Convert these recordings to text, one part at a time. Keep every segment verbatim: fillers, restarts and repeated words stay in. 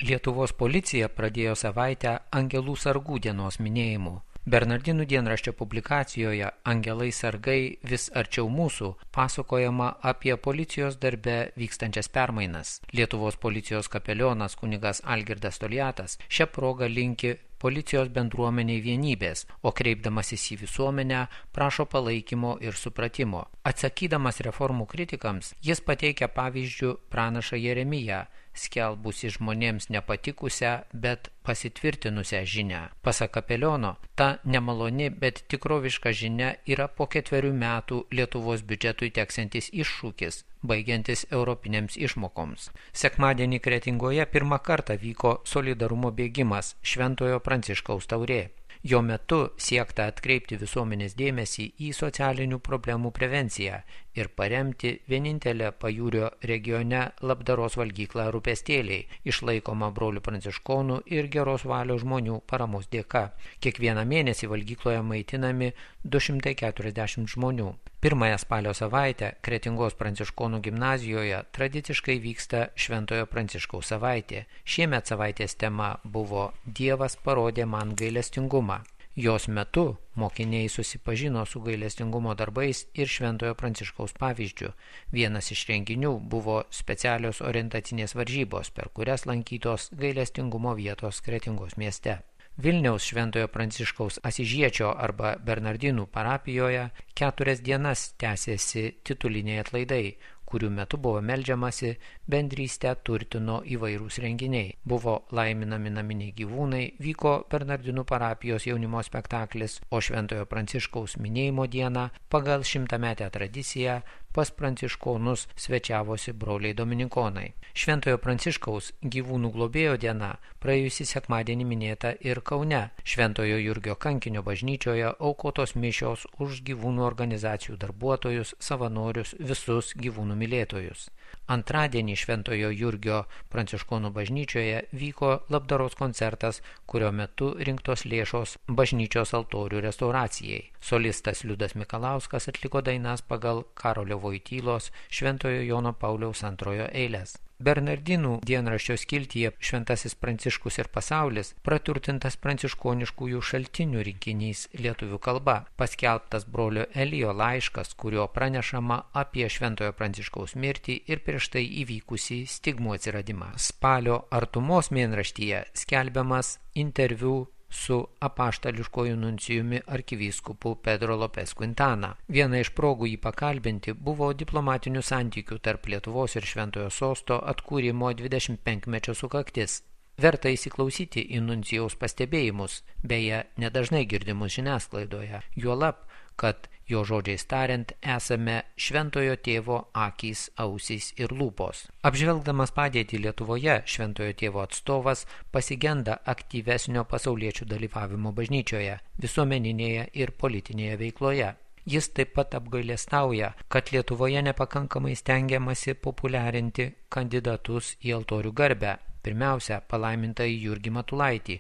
Lietuvos policija pradėjo savaitę Angelų sargų dienos minėjimu. Bernardinų dienraščio publikacijoje Angelai sargai vis arčiau mūsų pasakojama apie policijos darbe vykstančias permainas. Lietuvos policijos kapelionas kunigas Algirdas Toliatas šią progą linki policijos bendruomeniai vienybės, o kreipdamasis į visuomenę prašo palaikymo ir supratimo. Atsakydamas reformų kritikams, jis pateikia pavyzdžių pranašą Jeremiją, skelbusi žmonėms nepatikusią, bet pasitvirtinusią žinią. Pasak kapeliono, ta nemaloni, bet tikroviška žinia yra po ketverių metų Lietuvos biudžetui teksantis iššūkis, baigiantis europinėms išmokoms. Sekmadienį Kretingoje pirmą kartą vyko solidarumo bėgimas Šventojo Pranciškaus taurė. Jo metu siekta atkreipti visuomenės dėmesį į socialinių problemų prevenciją ir paremti vienintelę Pajūrio regione labdaros valgyklą Rūpestėliai, išlaikoma brolių pranciškonų ir geros valios žmonių paramos dėka. Kiekvieną mėnesį valgykloje maitinami du šimtai keturiasdešimt žmonių. Pirmąją spalio savaitę Kretingos pranciškonų gimnazijoje tradiciškai vyksta Šventojo Pranciškaus savaitė. Šiemet savaitės tema buvo Dievas parodė man gailestingumą. Jos metu mokiniai susipažino su gailestingumo darbais ir Šventojo Pranciškaus pavyzdžiu. Vienas iš renginių buvo specialios orientacinės varžybos, per kurias lankytos gailestingumo vietos Kretingos mieste. Vilniaus Šventojo Pranciškaus Asižiečio arba Bernardinų parapijoje keturias dienas tęsėsi tituliniai atlaidai, kurių metu buvo meldžiamasi, bendrystę turtino įvairūs renginiai. Buvo laiminami naminiai gyvūnai, vyko Bernardinų parapijos jaunimo spektaklis, o Šventojo Pranciškaus minėjimo dieną pagal šimtametę tradiciją pas pranciškonus svečiavosi broliai dominikonai. Šventojo Pranciškaus gyvūnų globėjo diena praėjusį sekmadienį minėta ir Kaune. Šventojo Jurgio kankinio bažnyčioje aukotos mišios už gyvūnų organizacijų darbuotojus, savanorius, visus gyvūnų mylėtojus. Antradienį Šventojo Jurgio pranciškonų bažnyčioje vyko labdaros koncertas, kurio metu rinktos lėšos bažnyčios altorių restauracijai. Solistas Liudas Mikalauskas atliko dainas pagal Karolio Voitylos Šventojo Jono Pauliaus antrojo eiles. Bernardinų dienraščio skiltyje Šventasis Pranciškus ir pasaulis praturtintas pranciškoniškųjų šaltinių rinkinys lietuvių kalba, paskelbtas brolio Elijo laiškas, kurio pranešama apie Šventojo Pranciškaus mirtį ir prieš tai įvykusį stigmų atsiradimą. Spalio artumos mėnraštyje skelbiamas interviu su apaštališkoju nuncijumi arkivyskupu Pedro Lopes Quintana. Viena iš progų jį pakalbinti buvo diplomatinių santykių tarp Lietuvos ir Šventojo sosto atkūrimo dvidešimt penkmečio sukaktis. Verta įsiklausyti į nuncijaus pastebėjimus, beje, nedažnai girdimus žiniasklaidoje, juolab, kad jo žodžiais tariant esame Šventojo tėvo akys, ausys ir lūpos. Apžvelgdamas padėtį Lietuvoje, Šventojo tėvo atstovas pasigenda aktyvesnio pasauliečių dalyvavimo bažnyčioje, visuomeninėje ir politinėje veikloje. Jis taip pat apgailestauja, kad Lietuvoje nepakankamai stengiamasi populiarinti kandidatus į altorių garbę. Pirmiausia, palaimintąjį Jurgį Matulaitį,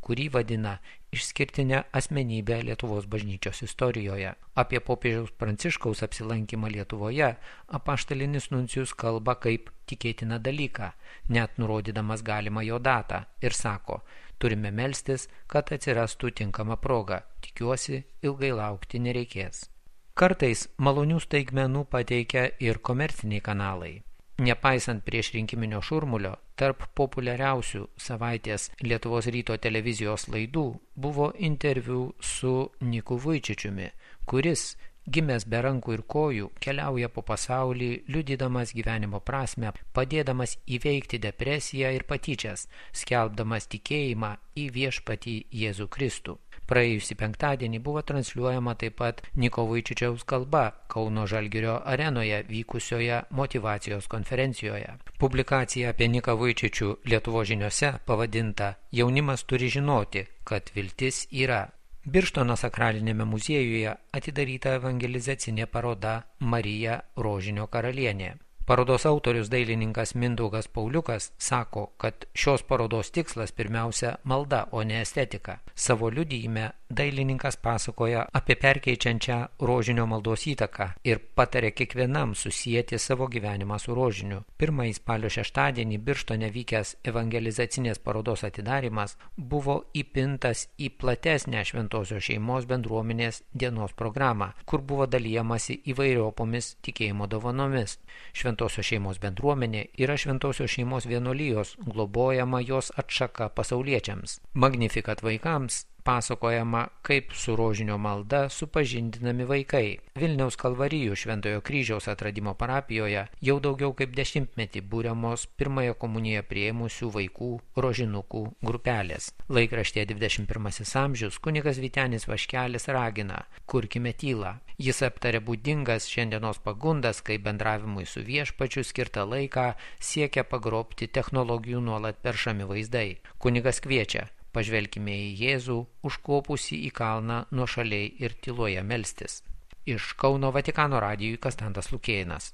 kurį vadina išskirtinę asmenybę Lietuvos bažnyčios istorijoje. Apie popiežiaus Pranciškaus apsilankymą Lietuvoje apaštalinis nuncijus kalba kaip tikėtiną dalyką, net nurodydamas galimą jo datą, ir sako, turime melstis, kad atsirastų tinkama proga, tikiuosi, ilgai laukti nereikės. Kartais malonių staigmenų pateikia ir komerciniai kanalai. Nepaisant prieš rinkiminio šurmulio, tarp populiariausių savaitės Lietuvos ryto televizijos laidų buvo interviu su Niku Vujčičiumi, kuris, gimęs be rankų ir kojų, keliauja po pasaulį, liudydamas gyvenimo prasmę, padėdamas įveikti depresiją ir patyčias, skelbdamas tikėjimą į viešpatį Jėzų Kristų. Praėjusį penktadienį buvo transliuojama taip pat Niko Vujčičiaus kalba Kauno Žalgirio arenoje vykusioje motyvacijos konferencijoje. Publikacija apie Niką Vujčičių Lietuvos žiniose pavadinta Jaunimas turi žinoti, kad viltis yra. Birštono sakralinėme muziejuje atidaryta evangelizacinė paroda Marija Rožinio karalienė. Parodos autorius dailininkas Mindaugas Pauliukas sako, kad šios parodos tikslas pirmiausia malda, o ne estetika. Savo liudijime dailininkas pasakoja apie perkeičiančią rožinio maldos įtaką ir patarė kiekvienam susijęti savo gyvenimą su rožiniu. Pirmąjį spalio šeštadienį Birštone vykęs evangelizacinės parodos atidarimas buvo įpintas į platesnę Šventosios šeimos bendruomenės dienos programą, kur buvo dalijamasi įvairiopomis tikėjimo dovanomis. Šventosios šeimos bendruomenė yra Šventosios šeimos vienuolijos, globojama jos atšaka pasauliečiams. Magnificat vaikams pasakojama, kaip su rožinio malda supažindinami vaikai. Vilniaus Kalvarijų Šventojo kryžiaus atradimo parapijoje jau daugiau kaip dešimtmetį būriamos pirmąją komuniją priėmusių vaikų rožinukų grupelės. Laikraštyje dvidešimt pirmasis amžius kunigas Vytenis Vaškelis ragina: kurkime tylą. Jis aptarė būdingas šiandienos pagundas, kai bendravimui su viešpačiu skirtą laiką siekia pagrobti technologijų nuolat peršami vaizdai. Kunigas kviečia: pažvelkime į Jėzų, užkopusį į kalną nuošaliai ir tyloje melstis. Iš Kauno Vatikano radijui Kastantas Lukėnas.